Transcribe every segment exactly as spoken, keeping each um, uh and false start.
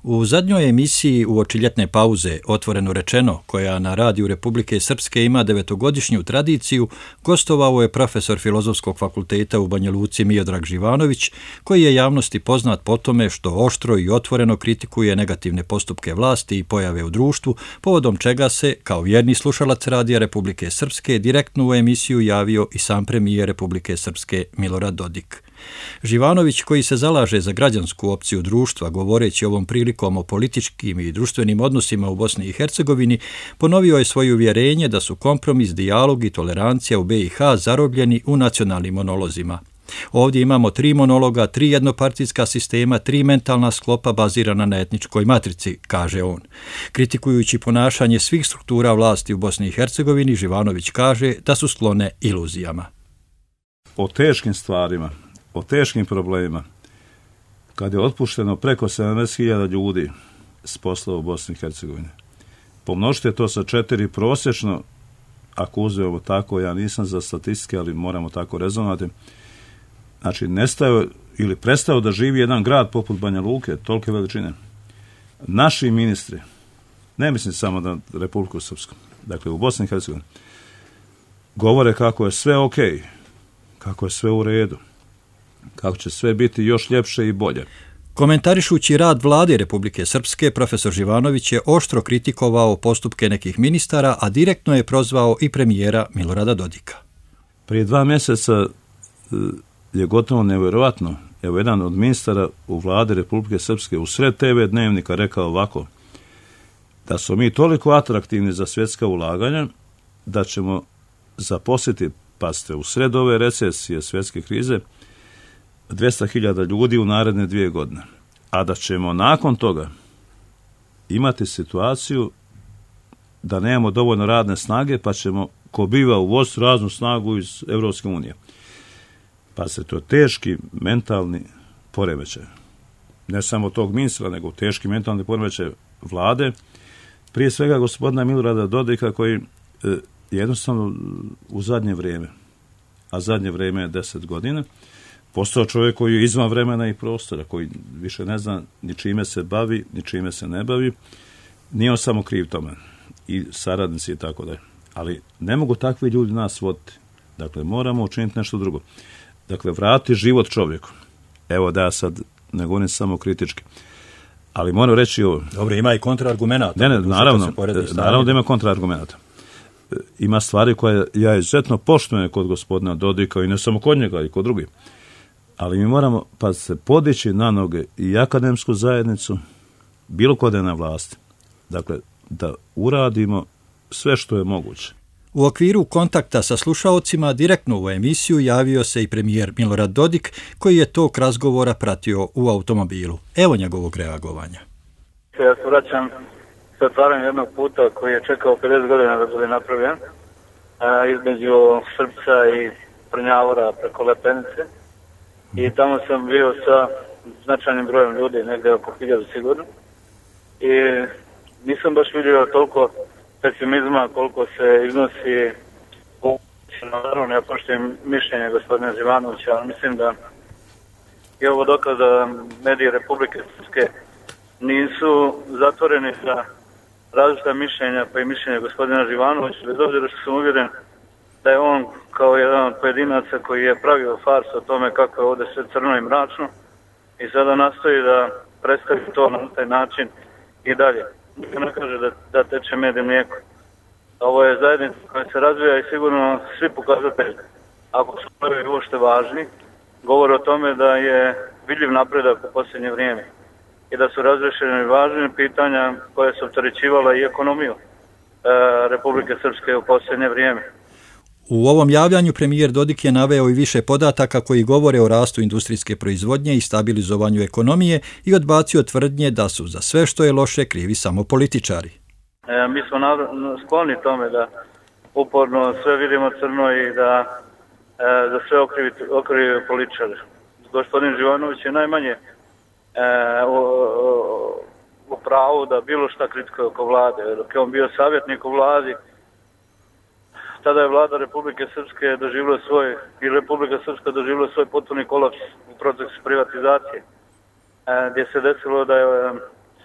U zadnjoj emisiji uoči ljetne pauze, Otvoreno rečeno, koja na radiju Republike Srpske ima devetogodišnju tradiciju, gostovao je profesor Filozofskog fakulteta u Banja Luci Miodrag Živanović, koji je javnosti poznat po tome što oštro i otvoreno kritikuje negativne postupke vlasti i pojave u društvu, povodom čega se, kao vjerni slušalac radija Republike Srpske, direktno u emisiju javio i sam premijer Republike Srpske Milorad Dodik. Živanović, koji se zalaže za građansku opciju društva, govoreći ovom prilikom o političkim i društvenim odnosima u Bosni i Hercegovini, ponovio je svoje uvjerenje da su kompromis, dijalog i tolerancija u B i H zarobljeni u nacionalnim monolozima. Ovdje imamo tri monologa, tri jednopartijska sistema, tri mentalna sklopa bazirana na etničkoj matrici, kaže on. Kritikujući ponašanje svih struktura vlasti u Bosni i Hercegovini, Živanović kaže da su sklone iluzijama. O teškim stvarima, o teškim problemima, kad je otpušteno preko sedamdeset hiljada ljudi s posla u Bosni i Hercegovini. Pomnožite to sa četiri prosječno, ako uzmemo tako, ja nisam za statistike, ali moramo tako rezonovati. Znači, nestao ili prestao da živi jedan grad poput Banja Luke, tolike veličine. Naši ministri, ne mislim samo na Republiku Srpsku, dakle u Bosni i Hercegovini, govore kako je sve ok, kako je sve u redu, kako će sve biti još ljepše i bolje. Komentarišući rad vlade Republike Srpske, profesor Živanović je oštro kritikovao postupke nekih ministara, a direktno je prozvao i premijera Milorada Dodika. Prije dva mjeseca je gotovo nevjerojatno. Evo, jedan od ministara u vlade Republike Srpske u sred te ve dnevnika rekao ovako, da smo mi toliko atraktivni za svjetska ulaganja, da ćemo zaposliti, pazite, u sred ove recesije, svjetske krize, dvjesto hiljada ljudi u naredne dvije godine. A da ćemo nakon toga imati situaciju da nemamo dovoljno radne snage, pa ćemo ko biva uvoziti raznu snagu iz Europske unije. Pa se to teški mentalni poremećaj. Ne samo tog ministra, nego teški mentalni poremećaj vlade. Prije svega gospodina Milorada Dodika, koji e, jednostavno u zadnje vrijeme, a zadnje vrijeme je deset godina, postao čovjek koji je izvan vremena i prostora, koji više ne zna ni čime se bavi, ni čime se ne bavi. Nije on samo kriv tome. I saradnici i tako dalje. Ali ne mogu takvi ljudi nas voditi. Dakle, moramo učiniti nešto drugo. Dakle, vrati život čovjeku. Evo da ja sad ne govorim samo kritički. Ali moram reći ovo. Dobro, ima i kontraargumenata. Ne, ne, naravno, naravno da ima kontraargumenata. Ima stvari koje ja izuzetno poštujem kod gospodina Dodika i ne samo kod njega i kod drugih. Ali mi moramo pa se podići na noge i akademsku zajednicu, bilo kod je na vlasti. Dakle, da uradimo sve što je moguće. U okviru kontakta sa slušaocima direktno u emisiju javio se i premijer Milorad Dodik, koji je tog razgovora pratio u automobilu. Evo njegovog reagovanja. Ja se vraćam sa otvaranjem jednog puta koji je čekao pedeset godina da bude napravljen, a, između Srpca i Prnjavora preko Lepenice. I tamo sam bio sa značajnim brojem ljudi, negdje oko hiljadu sigurno. I nisam baš vidio toliko pesimizma koliko se iznosi u naravno, ja poštujem mišljenje gospodina Živanovića, ali mislim da je ovo dokaz da mediji Republike Srpske nisu zatvoreni za različita mišljenja, pa i mišljenje gospodina Živanovića, bez obzira što sam uvjeren da je on kao jedan od pojedinaca koji je pravio farsu o tome kako je ovdje sve crno i mračno i sada nastoji da predstavi to na taj način i dalje. Ne kaže da, da teče med i mlijeko. Ovo je zajednica koja se razvija i sigurno svi pokazatelji, ako su prvi uopšte važni, govore o tome da je vidljiv napredak u posljednje vrijeme i da su razrešene važne pitanja koje su opterećivala i ekonomiju e, Republike Srpske u posljednje vrijeme. U ovom javljanju premijer Dodik je naveo i više podataka koji govore o rastu industrijske proizvodnje i stabilizovanju ekonomije i odbacio tvrdnje da su za sve što je loše krivi samo političari. E, mi smo skloni tome da uporno sve vidimo crno i da e, za sve okrivi, okrivi političari. Gospodin Živanović je najmanje e, u, u pravu da bilo šta kritikuje oko vlade. Dok je on bio savjetnik u vladi, tada je vlada Republike Srpske doživjela svoj, i Republika Srpska doživjela svoj potpuni kolaps u procesu privatizacije, gdje se desilo da je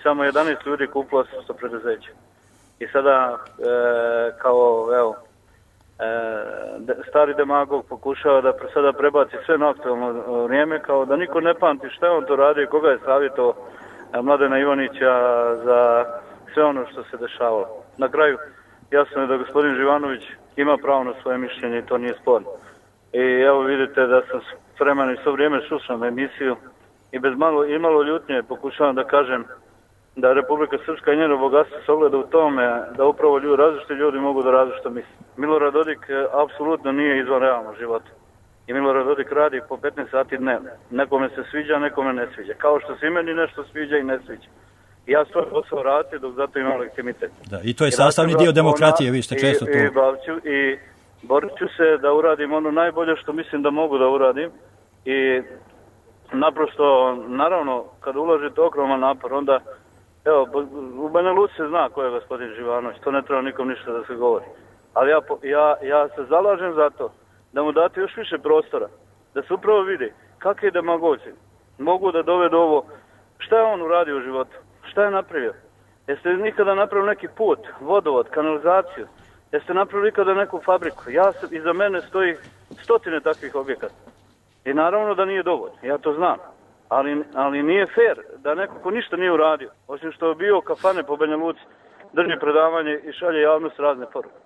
samo jedanaest ljudi kupilo osamsto preduzeća. I sada e, kao evo e, stari demagog pokušava da sada prebaci sve na aktualno vrijeme, kao da niko ne pamti šta je on to radio i koga je savjetovao Mladena Ivanića za sve ono što se dešavalo. Na kraju jasno je da gospodin Živanović ima pravo na svoje mišljenje i to nije sporno. I evo vidite da sam s vremena i svo vrijeme slušam emisiju i bez malo i malo ljutnje pokušavam da kažem da Republika Srpska i njeno bogatstvo se ogleda u tome da upravo ljudi, različiti ljudi mogu da različito misle. Milorad Dodik apsolutno nije izvan realnog života. I Milorad Dodik radi po petnaest sati dnevno. Nekome se sviđa, nekome ne sviđa. Kao što se i meni nešto sviđa i ne sviđa. I ja svoj posao radim dok zato imam legitimitet. Da, i to je sastavni dio demokratije, vi ste često i, to... I, bavću, i borit ću se da uradim ono najbolje što mislim da mogu da uradim. I naprosto, naravno, kad uložite ogroman napor, onda, evo, u Banja Luci se zna ko je gospodin Živanović, to ne treba nikom ništa da se govori. Ali ja, ja, ja se zalažem za to da mu date još više prostora, da se upravo vidi kakve demagozi mogu da dovedu ovo, šta je on uradio u životu, šta je napravio. Jeste nikada napravili neki put, vodovod, kanalizaciju, jeste napravili nikada neku fabriku. Ja se, iza mene stoji stotine takvih objekata. I naravno da nije dovoljno, ja to znam. Ali, ali nije fair da neko ko ništa nije uradio, osim što je bio kafane po Banja Luci, drži predavanje i šalje javnost razne poruke.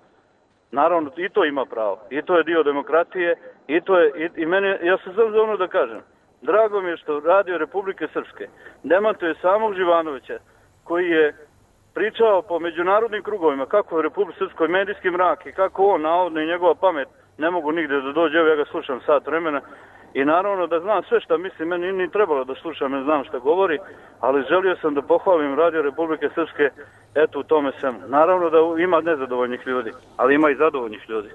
Naravno, i to ima pravo. I to je dio demokratije. I to je, i, i mene, ja se sam za ono da kažem. Drago mi je što Radio Republike Srpske demantuje samog Živanovića, koji je pričao po međunarodnim krugovima kako je u Republike Srpskoj medijski mrak i kako on, navodno i njegova pamet, ne mogu nigdje da dođe. Evo ja ga slušam sat vremena. I naravno da znam sve što mislim, meni nije trebalo da slušam, ne znam što govori, ali želio sam da pohvalim Radio Republike Srpske, eto u tome svemu. Naravno da ima nezadovoljnih ljudi, ali ima i zadovoljnih ljudi.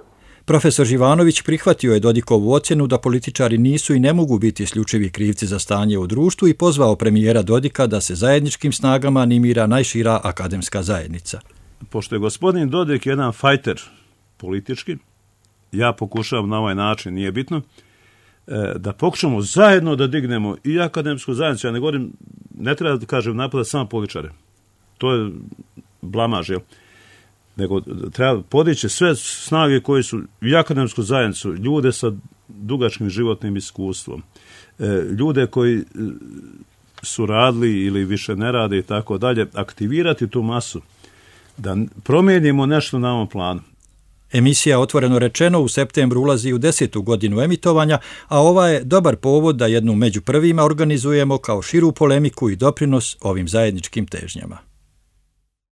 Profesor Živanović prihvatio je Dodikovu ocjenu da političari nisu i ne mogu biti isključivi krivci za stanje u društvu i pozvao premijera Dodika da se zajedničkim snagama animira najšira akademska zajednica. Pošto je gospodin Dodik jedan fajter politički, ja pokušavam na ovaj način, nije bitno, da pokušamo zajedno da dignemo i akademsku zajednicu. Ja ne govorim, ne treba da kažem napada samo političare. To je blamaž, jel? Nego treba podići sve snage koje su i akademsku zajednicu, ljude sa dugačkim životnim iskustvom, ljude koji su radili ili više ne rade i tako dalje, aktivirati tu masu da promijenimo nešto na ovom planu. Emisija Otvoreno rečeno u septembru ulazi u desetu godinu emitovanja, a ova je dobar povod da jednu među prvima organizujemo kao širu polemiku i doprinos ovim zajedničkim težnjama.